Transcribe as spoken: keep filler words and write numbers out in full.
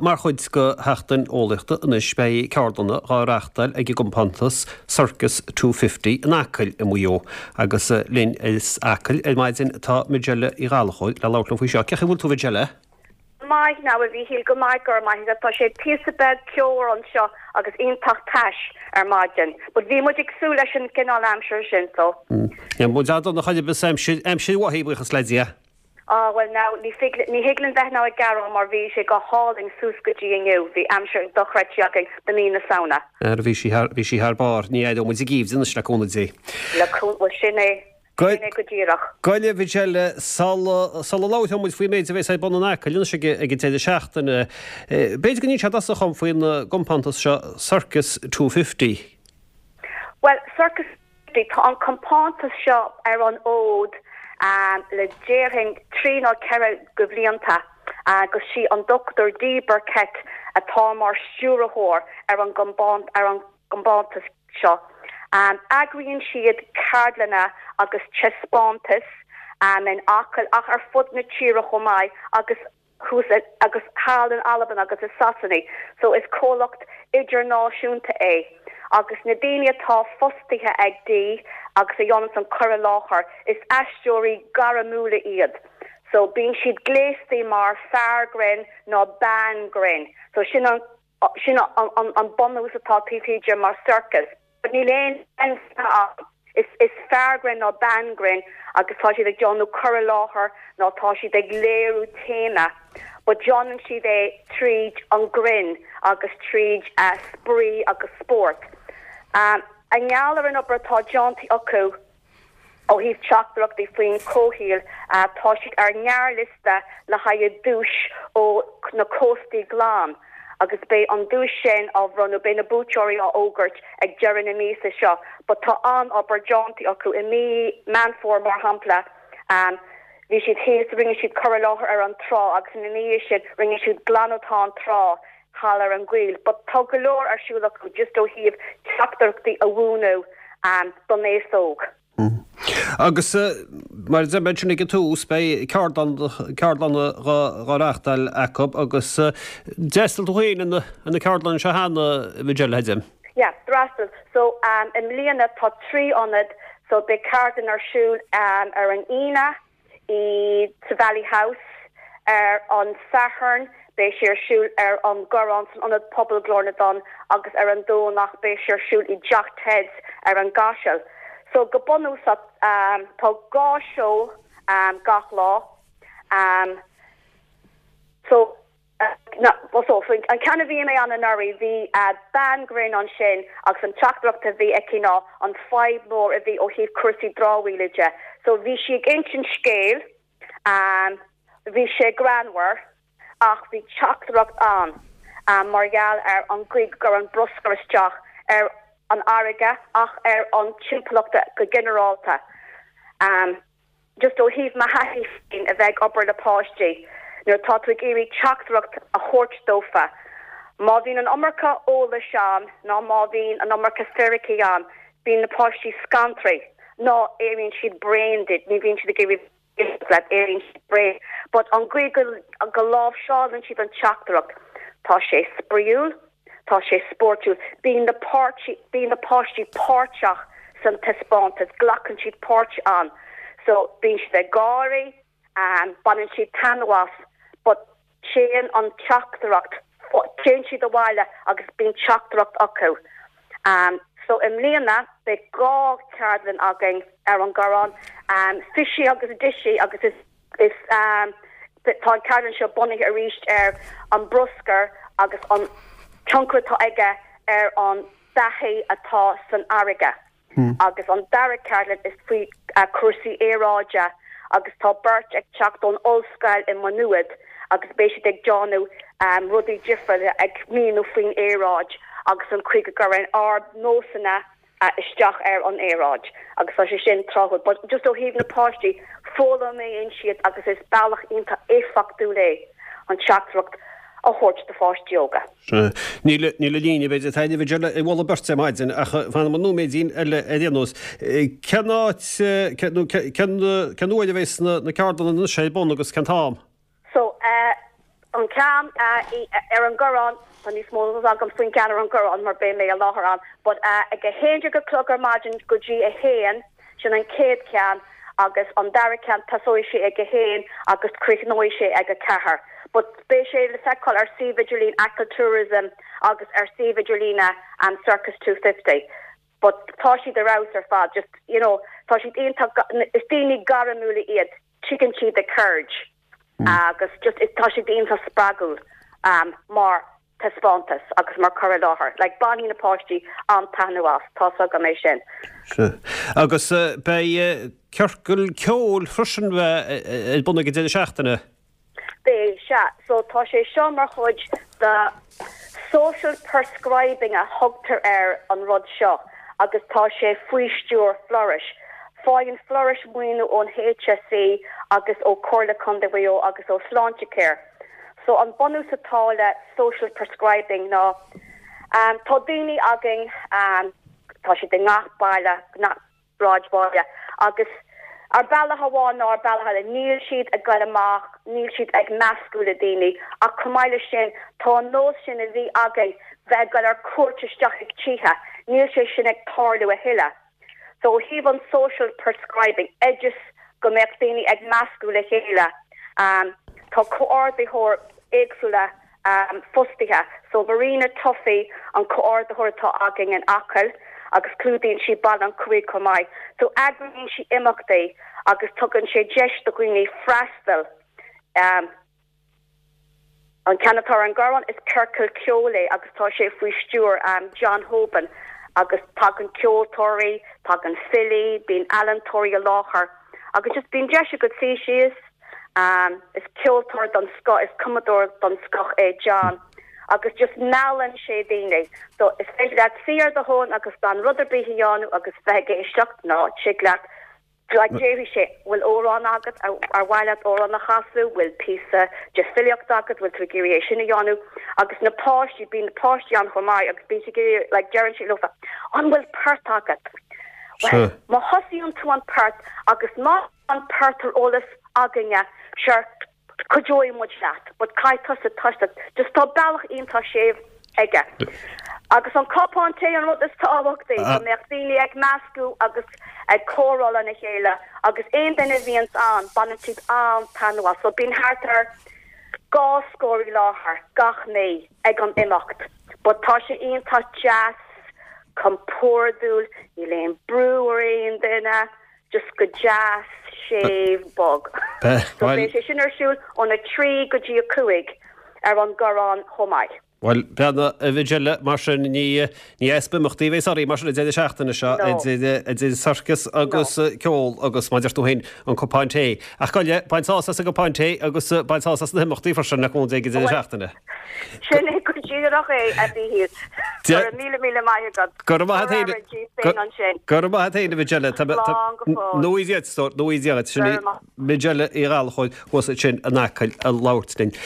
Mar chuid de Sheachtain Eolaíochta anois beidh ceardlanna á reáchtáil ag an gcompántas Circus two fifty in Acaill i Maigh Eo agus linn as Acaill ar maidin tá Majella Uí Ghallchóir le labhairt linn faoi seo. Cén chaoi a bhfuil tú a Mhajella? Maith now a Mhíchíl, go maith go raibh maith agat. Tá sé píosa beag ceomhar anseo agus iontach tais ar maidin. But bhí muid ag súil leis an gcineál aimsire sin so. Níl muid an-dona chor ar bith aimsir, aimsir mhaith í, buíochas le Dia. Ah bhuel now ní thig ní thig linn bheith now ag gearán mar bhí sé go hálainn suas go dtí inniu, bhí aimsir dochreidte againn do mí na Samhna. Ara bhí sí thar, bhí sí thar barr, ní aireoidh muid an geimhreadh anois le cúnamh Dé. Le cúnamh, bhuel sin é, sin é go díreach. Gabh i leith a Mhajella, sula, sula labhróidh muid faoin méid a bheas ar bun in Acaill anois ag, ag an deireadh seachtaine, b'fhéidir go n-inseofá dtosach dhom faoin gcompántas seo Circus two fifty. Bhuel, Circus two fifty, tá an compántas seo ar an fhód le déarfainn trí nó ceithre go bhlianta agus sí an Dochtúir Dee Burkett atá mar stiúrthóir ar an ar an gcompántas seo. Eagraíonn siad ceardlanna agus taispeántais in Acaill ach ar fud na tíre chomh maith agus thuas agus thall in Albain agus i Sasana, so is comhlacht idirnáisiúnta é. Agus na daoine atá fostaithe ag Dee agus a dhéanann an cur i láthair, is aisteoirí gairmiúla iad. So bíonn siad gléasta mar fear grinn nó bean grinn. So sin an sin an an bunús atá taobh thiar de mar circus. But níl aon ann. Is is fear grinn nó bean grinn agus tá siad ag déanamh cur i láthair nó tá siad ag léiriú téama. But déanann siad é tríd an grinn agus tríd uh, spraoi agus spórt. Um, I ngeall ar an obair atá déanta acu ó thaobh teachtaireachtaí faoin comhshaol uh, tá siad ar ngearrliosta le haghaidh duais ó na Cóstaí Glan. agus beidh an duais sin á bhronnadh beidh na buaiteoirí á bhfógairt ag deireadh na míosa seo, but tá an-obair déanta acu i mí Meán Fómhair mar shampla. Um, bhí siad thíos rinne siad cur i láthair ar an trá agus ina dhiaidh sin rinne siad glanadh an trá thall ar an gCoill, but tá go leor ar siúl acu just ó thaobh teachtaireachtaí a mhúineadh um, don aos óg. Agus mar a dúirt mé ag an tús beidh ceardlanna á reáchtáil acu agus d'fhreastail tú féin ar na ceardlanna seo cheana a Mhajella Hedim. Yeah, d'fhreastail. So um, i mbliana tá trí ionad so beidh ceardlann ar siúl um, ar an Aoine i sa Valley House ar an Satharn beidh sé ar siúl ar an gCoireán san ionad Pobal Glór na dTonn agus ar an Domhnach beidh sé ar siúl i dTeach Teds ar an gCaiseal. So go bunúsach um, tá dhá seó um, gach lá. Um, so uh, na, so an ceann a bhí mé ann anuraidh bhí uh, bean grinn ansin agus an teachtaireacht a bhí aici ná an fadhb mór a bhí ó thaobh cúrsaí dramhaíola de. So bhí sí ag insint scéil um, bhí sé greannmhar ach bhí teachtaireacht ann um, mar gheall ar an gcaoi a gcuireann bruscar isteach ar an fharraige ach ar an timpeallacht go ginearálta. Um, just ó thaobh mo thaithí féin a bheith ag obair le páistí, nuair tá tú ag iarraidh teachtaireacht a thabhairt dófa. Má bhíonn an iomarca eolais ann ná má bhíonn an iomarca fíricí ann, bíonn na páistí scanraithe ná éiríonn siad bréan díot, ní bhíonn siad ag iarraidh éiríonn siad bréan. But an gcaoi go, go láimhseálann siad an teachtaireacht, Tá sé spraíúil, tá sé spórtúil, bíonn na páirtí bíonn na páistí páirteach san taispeántas, glacann siad páirt ann. So bíonn siad ag gáirí, um, baineann siad taitneamh as, but téann an teachtaireacht téann siad abhaile agus bíonn teachtaireacht acu. Um, so i mbliana beidh dhá cheardlann againn ar an gCoireán, um, Fishy agus Dishy agus is, is um, tá an ceardlann seo bunaithe arís ar an bruscar agus an tionchar atá aige ar an beatha atá san fharraige. Hmm. Agus an dara ceardlann is faoi uh, cúrsaí aeráide agus tá beirt ag teacht ón ollscoil i Maigh Nuad agus beidh siad ag déanamh um, rudaí difriúla ag míniú faoin aeráid agus an chaoi go gcuireann ár nósanna uh, isteach ar an aeráid agus tá sé sin tráthúil, but just ó thaobh na páistí foghlaimíonn siad agus is bealach iontach éifeachtúil é an teachtaireacht a thabhairt do pháistí óga. Níl níl líne beidir taine bheidir i bhla beirt maidin ach fan an nóiméidín eile ar aon nós. Cén áit cén uair a bheas na na ceardlanna ar bun agus cén t-am? So uh, an ceann ar an gCoireán tá níos mó agam faoin ceann ar an gCoireán mar beidh mé i láthair ann, but ag a haon déag a chlog ar maidin go dtí a haon sin an chéad cheann agus an dara ceann tosóidh sé ag a haon agus críochnóidh sé ag a ceathair. But beidh sé le feiceáil ar suíomh idirlín Achill Tourism agus ar suíomh idirlín an Circus two fifty. But tá siad ar fheabhas ar fad, just you know, tá siad iontach is daoine gairmiúla iad, tuigeann siad a gceird. Agus just tá siad iontach spreagúil um, mar taispeántas agus mar cur i láthair. Like bainfidh na páistí an-taitneamh as, tá agam é sin. Agus uh, beidh uh, ciorcal ceoil freisin bheith ar bun ag an deireadh seachtaine? Beidh sea, so tá sé seo mar chuid de social prescribing a thugtar ar an rud seo agus tá sé faoi stiúir Flourish. Faigheann Flourish maoiniú ón HSE agus ó Chomhairle Contae Mhaigh Eo agus ó Sláintecare. So an bunús atá le social prescribing ná um, tá daoine againn um, tá siad i ngach baile ngach sráidbhaile agus ar bealach amháin nó ar bealach eile níl siad ag dul amach, níl siad ag meascadh le daoine ach chomh maith leis sin tá an nós sin a bhí againn bheith ag dul ar cuairt isteach ag tithe, níl sé sin ag tarlú a thuilleadh. So ó thaobh an social prescribing oideas go mbeadh daoine ag meascadh le chéile. Um, tá comhordaitheoir éagsúla um, fostaithe, so Marina Tuffy an comhordaitheoir atá againn in Acaill agus clúdaíonn sí Baile an Chuaigh chomh maith. So eagraíonn sí imeachtaí agus tugann sé deis do dhaoine freastal. Um, an ceann atá ar an gCoireán is ciorcal ceoil é agus tá sé faoi stiúir um, John Hoban agus tagann ceoltóirí, tagann filí, bíonn ealaíontóirí i láthair agus just bíonn deis agat suí síos um, is ceoltóir den scoth is cumadóir den scoth é John agus just meallann sé daoine. So is féidir leat suí ar do thóin agus gan rud ar bith a dhéanamh agus bheith ag éisteacht nó tig leat like déarfaidh sé bhfuil amhrán agat ar mhaith leat amhrán a chasadh, bhfuil píosa de filíocht agat, bhfuil tú ag iarraidh é sin a dhéanamh agus na páistí bíonn na páistí ann chomh maith agus bíonn siad ag like deireann siad leofa an bhfuil port agat. Well, má thosaíonn tú an port agus má an port ar eolas againne sure cuideoidh muid leat, but caithfidh tusa toiseacht just tá bealach iontach séimh aige. Agus an cupán tae an rud is tábhachtaí go mbeadh daoine ag meascadh agus ag comhrá lena chéile agus aon duine a bhíonn ann baineann siad an-taitneamh as, so bíonn thart ar dhá scór i láthair gach mí ag an imeacht. But tá sé iontach deas, compordúil, níl aon brú ar aon duine, just go deas, séimh, bog. So beidh sé sin ar siúl ón a trí go dtí a cúig ar an gCoireán chomh maith. Bhuel, beanna a Mhijelle mar sin ní ní easpa imeachtaí bheidh sorry mar sin an deireadh seachtaine seo idir sorcas agus ceol agus mar a deir tú féin an cupán tae. Ach goile bain sásamh as an gcupán tae agus bain sásamh as na himeachtaí freisin le cúnamh Dé ag an deireadh seachtaine. Sin é go díreach é a Mhíchíl. Go raibh míle míle maith agat. Go raibh maith agat féin. Go raibh maith agat féin a Mhijelle. Nó í sin Majella i Gallchóir thuas sin in Acaill ag labhairt linn.